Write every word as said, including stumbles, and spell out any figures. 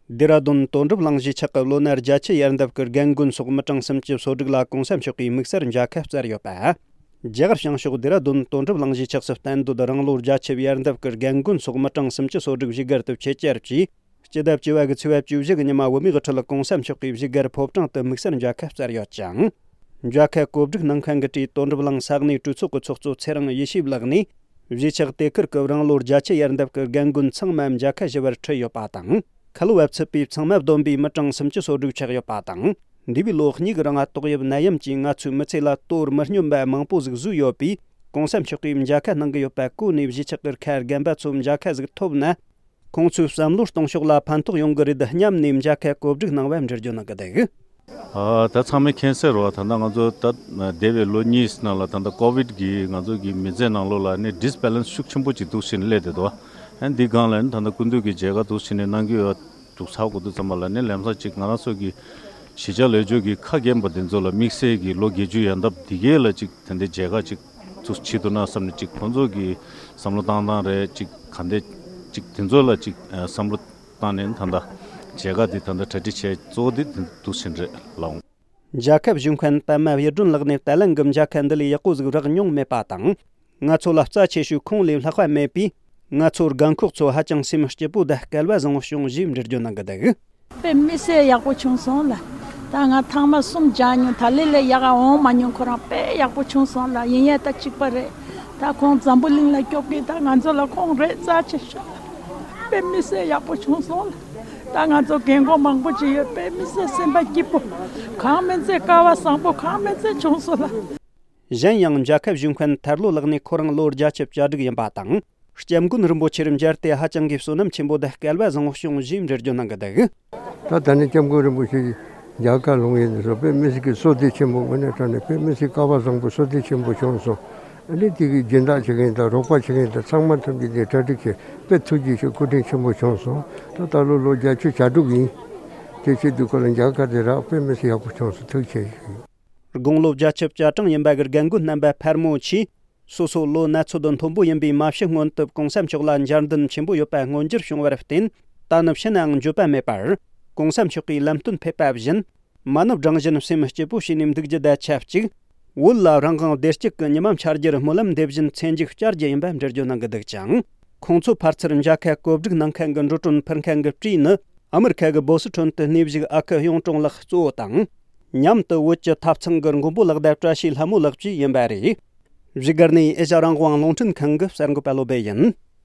ལྡེ་ར་ལྡུན་དོན་གྲུབ་གླིང་གཞིས་ཆགས་ཀྱི་ལོ་ན་བརྒྱད་ཅུ་ཡར་འདབ་ཀྱི་རྒན་རྒོན་སོགས་མི་གྲངས་སུམ་ཅུ་སོ་དྲུག་ལ་གོང་ས་མཆོག་གིས་དམིགས་བསལ་མཇལ་ཁ་བསྩལ་ཡོད་པ། རྒྱ་གར་བྱང་ཕྱོགས་ལྡེ་ར་ལྡུན་དོན་གྲུབ་གླིང་གཞིས་ཆགས་སུ་གཏན་སྡོད་རང་ལོ་བརྒྱད་ཅུ་ཡར་འདབ་ཀྱི་རྒན་རྒོན་སོགས་མི་གྲངས་སུམ་ཅུ་སོ་དྲུག་བཞུགས་སྒར་དུ་ཆེད་བཅར་གྱིས། སྤྱི་ཟླ་བཅུ་བ་གི་ཚེས་པ་བཅུ་བཞི་གི་ཉི་མ་བོད་མིའི་དབུ་ཁྲིད་གོང་ས་མཆོག་གིས་བཞུགས་སྒར་ཕོ་བྲང་དུ་དམིགས་བསལ་མཇལ་ཁ་བསྩལ་ཡོད་ཅིང་། མཇལ་ཁ་གོ་སྒྲིག་གནང་མཁན་གྱི་གྲས་དོན་གྲུབ་གླིང་ས་གནས་གྲོས་ཚོགས་ཀྱི་ཚོགས་གཙོ་ཚེ་རིང་ཡེ་ཤེས་ལགས་ནས། གཞིས་ཆགས་དེ་ཁུལ་གྱི་རང་ལོ་བརྒྱད་ཅུ་ཡར་འདབ་ཀྱི་རྒན་རྒོན་ཚང་མ་མཇལ་ཁ་ཞུ་བར་ཁྲིད་ཡོད་པ་དང་། ཁ་ལོ་བ་ཚུད་པའི་ཚང་མ་བསྡོམས་པའི་མི་གྲངས་སུམ་ཅུ་སོ་དྲུག་ཆགས་ཡོད་པ་དང་། འདས་པའི་ལོ་གཉིས་ཀྱི་རིང་ཏོག་དབྱིབས་ནད་ཡམས་ཀྱིས་ང་ཚོའི་མི་ཚེ་ལ་དོ་མི་སྙོམས་པ་མང་པོ་ཟིག་བཟོས་ཡོད་པས། གོང་ས་མཆོག་གིས་མཇལ་ཁ་གནང་གི་ཡོད་པ་གོ་ནས། གཞིས་ཆགས་ཀྱི་ཁ་རྒན་པ་ཚོ་མཇལ་ཁ་ཟིག་ཐོབ་ན། ཁོང་ཚོའི་བསམ་བློ་གཏོང་ཕྱོགས་ལ་ཕན་ཐོགས་ཡོང་གི་རེད་སྙམ་ནས་མཇལ་ཁ་གོ་སྒྲིག་གནང་བ་འགྲེལ་བརྗོད་གནང་གི་འདུག་ཨ། ད་ཚང་མས་མཁྱེན་གསལ་རེད་བ། ད་ལྟ་ང་ཚོ་ད་འདས་པའི་ལོ་གཉིས་ནང་ལ་ད་ལྟ་ཀོ་བིད་ཀྱིས་ང་ཚོ་གི་མི་ཚེ་ནང་ལོགས་ལ་ནི་ཌིས་བྷེ་ལེན་སི་ཤུགས་ཆེན་པོ་ཅིག་འདུག་སེ་སླེབས་བསྡད་འདུག་ཨ། འདི་སྒང་ལ་ནི་ད་ལྟ་སྐུ་མདུན་གྱིས་མཇལ་ཁ་འདུག་སེ་ནས་གནང་གི་ཡོད་འདུག་ཚར་དགོས་དུས་ཙམ་པ་ལ་ནི་ལམ་སང་ཅིག་ང་རང་ཚོ་གི་གཞིས་ཆགས་ལས་ཆོད་ཀྱི་ཁ་རྒན་པ་འདི་ཚོ་ལ་དམིགས་བསལ་གྱི་ལོ་བརྒྱད་ཅུ་ཡར་འདབ་འདི་གས་ལ་ཅིག་དེ་འདྲའི་མཇལ་ཁ་ཅིག་ཚུགས་བྱེད་ཐུབ་ན་བསམ་ནས་ཅིག་ཁོང་ཚོ་གི་བསམ་བློ་བཏང་སྟངས་རེད། ཅིག་ག་འདྲ་ཅིག་དེ་ཚོ་ལ་ཅིག་བསམ་བློ་བཏང་ནས་ད་ལྟ་མཇལ་ཁ་འདི་ད་ལྟ་གྲ་སྒྲིག་བྱས་གཙོ་བོ་འདི་དེ་འདུག་ཕྱིན་རེད་ལགས། མཇལ་ཁ་ཞུ་མཁན་པད་མ་གཡུ་སྒྲོན་ལགས་ནས་ད་ལན་གྱི་མཇལ་ཁ་འདི་ལས་ཡག་པོ་ཟིག་རག་མྱོང་མེད་པ་དང་། ང་ཚོ་ལ་རྩ་ཆེ་ཤོས་ཁོང་ལས་ལྷག་པ་མེད་པས། ང་ཚོ་རྒན་འཁོགས་ཚོ་ཧ་ཅང་སེམས་སྐྱིད་པོ་དང་སྐལ་བ་བཟང་བོ་བྱུང་ཞེས་འགྲེལ་བརྗོད་གནང་གི་འདུག་དཔེ་མི་སྲིད་ཡག་པོ་བྱུང་སོང་ལ། ད་ང་ཐེངས་མ་གསུམ་མཇལ་མྱོང་། ད་ལས་ལས་ཡག་ག་འོང་མ་མྱོང་། ཁོ་རང་དཔེ་ཡག་པོ་བྱུང་སོང་ལ། ཡིན་ཡང་ད་གཅིག་པ་རེད། ད་ཁོང་འཛམ་བུ་གླིང་ལ་སྐྱོབ་མཁན་ད་ང་ཚོ་ལ་ཁོང་རེད། རྩ་ཆེ་ཤོས་ལ། དཔེ་མི་སྲིད་ཡག་པོ་བྱུང་སོང་ལ། ད་ང་ཚོ་རྒན་གོག་མང་པོ་ཅིག་ཡོད། དཔེ་མི་སྲིད་སེམས་པ་སྐྱིད་པོ། གང་མིན་ཚད་སྐལ་བ་བཟང་པོ་གང་མིན་ཚད་བྱུང་སོང་ལ། གཞན་ཡང་མཇལ་ཁ་ཞུ་མཁན་ཐར་ལོ་ལགས་ནས་ཁོ་རང་ལོ་བརྒྱད་ཅུ་གྱ་དྲུག་ཡིན་པ་དང་། སྐྱབས་མགོན་རིན་པོ་ཆེར་མཇལ་ཏེ་ཧ་ཅང་གི་བསོད་ནམས་ཆེན་པོ་དང་སྐལ་བ་བཟང་བོ་བྱུང་ཞེས་འགྲེལ་བརྗོད་གནང་གི་འདུག་ད་ད་ནི་སྐྱབས་མགོན་རིན་པོ་ཆེ་མཇལ་ཁ་ལོང་ཡིན་ཟེར། དཔེ་མི་སྲིད་ཀྱི་བསོད་བདེ་ཆེན་པོ། དངོས་གནས་དྲང་གནས་དཔེ་མི་སྲིད་སྐལ་བ་བཟང་པོ་བསོད་བདེ་ཆེན་པོ་བྱུང་སོང་། ཨ་ནི་དེ་གི་སྦྱིན་བདག་བྱེད་མཁན་དང་རོགས་པ་བྱེད་མཁན་དང་ཚང་མ་ཐམས་ཅད་ཀྱིས་གྲ་སྒྲིག་བྱས། དཔེ་ཐུགས་རྗེ་ཆེ། སྐུ་དྲིན་ཆེན་པོ་བྱུང་སོང་། ད་ད་ལོ་ལོ་བརྒྱད་ཅུ་གྱ་དྲུག་ཡིན། དེ་བྱེད་དུས་ཁོ་ལ་མཇལ་ཁ་དེ་རག་དཔེ་མི་སྲིད་ཡག་པོ་བྱུང་སོང་། ཐུགས་རྗེ་ཆེ། དགུང་ལོ་བརྒྱད་ཅུ་གྱ་གྲངས་ཡིན་པ་གི་རྒན་རྒོན་རྣམ་པ་ཕལ་མོ་ཆེས་སོ་སོ་ལོ་ན་ཚོད་མཐོན་པོ་ཡིན་པས། མ་ཤི་སྔོན་དུ་གོང་ས་མཆོག་ལ་མཇལ་འདུན་ཆེན་པོ་ཡོད་པ་མངོན་འགྱུར་བྱུང་བར་བརྟེན། ད་ནི་ཕྱི་ནའང་འགྱོད་པ་མེད་པར། གོང་ས་མཆོག་གིས་ལམ་སྟོན་ཕེབས་པ་བཞིན། མ་ནུབ་རང་བཞིན་སེམས་སྐྱིད་པོ་བྱས་ནས་འདུག་རྒྱུ་དང་ཆབས་ཅིག་བོད་ལ་རང་དབང་བདེ་སྐྱིད་ཀྱི་ཉི་མ་འཆར་རྒྱུར་སྨོན་ལམ་འདེབས་བཞིན་ཚེ་མཇུག་བསྐྱལ་རྒྱུ་ཡིན་པ་འགྲེལ་བརྗོད་གནང་གི་འདུག་ཅིང་། ཁོང་ཚོ་ཕར་ཚུར་མཇལ་ཁ་གོ་སྒྲིག་གནང་མཁན་གྱི་འགྲོ་གྲོན་ཕུལ་མཁན་གྱི་གྲས་ནི། ཨ་མི་རི་ཁ་གི་བོ་སི་ཁྲོན་དུ་གནས་བཞུགས་ཨ་ཁུ་གཡུང་དྲུང་ལགས་གཙོ་བོ་དང་། མཉམ་དུ་བོད་ཀྱི་ཐབ་ཚང་གི་མགོན་པོ་ལགས་དང་བཀྲ་ཤིས་ལྷ་མོ་ལགས་བཅས་ཡིན་པ་རེད། བཞུགས་སྒར་ནས་ཨེ་ཤ་རང་དབང་རླུང་འཕྲིན་ཁང་གི་གསར་འགོད་པ་བློ་བྷེ་ཡིན།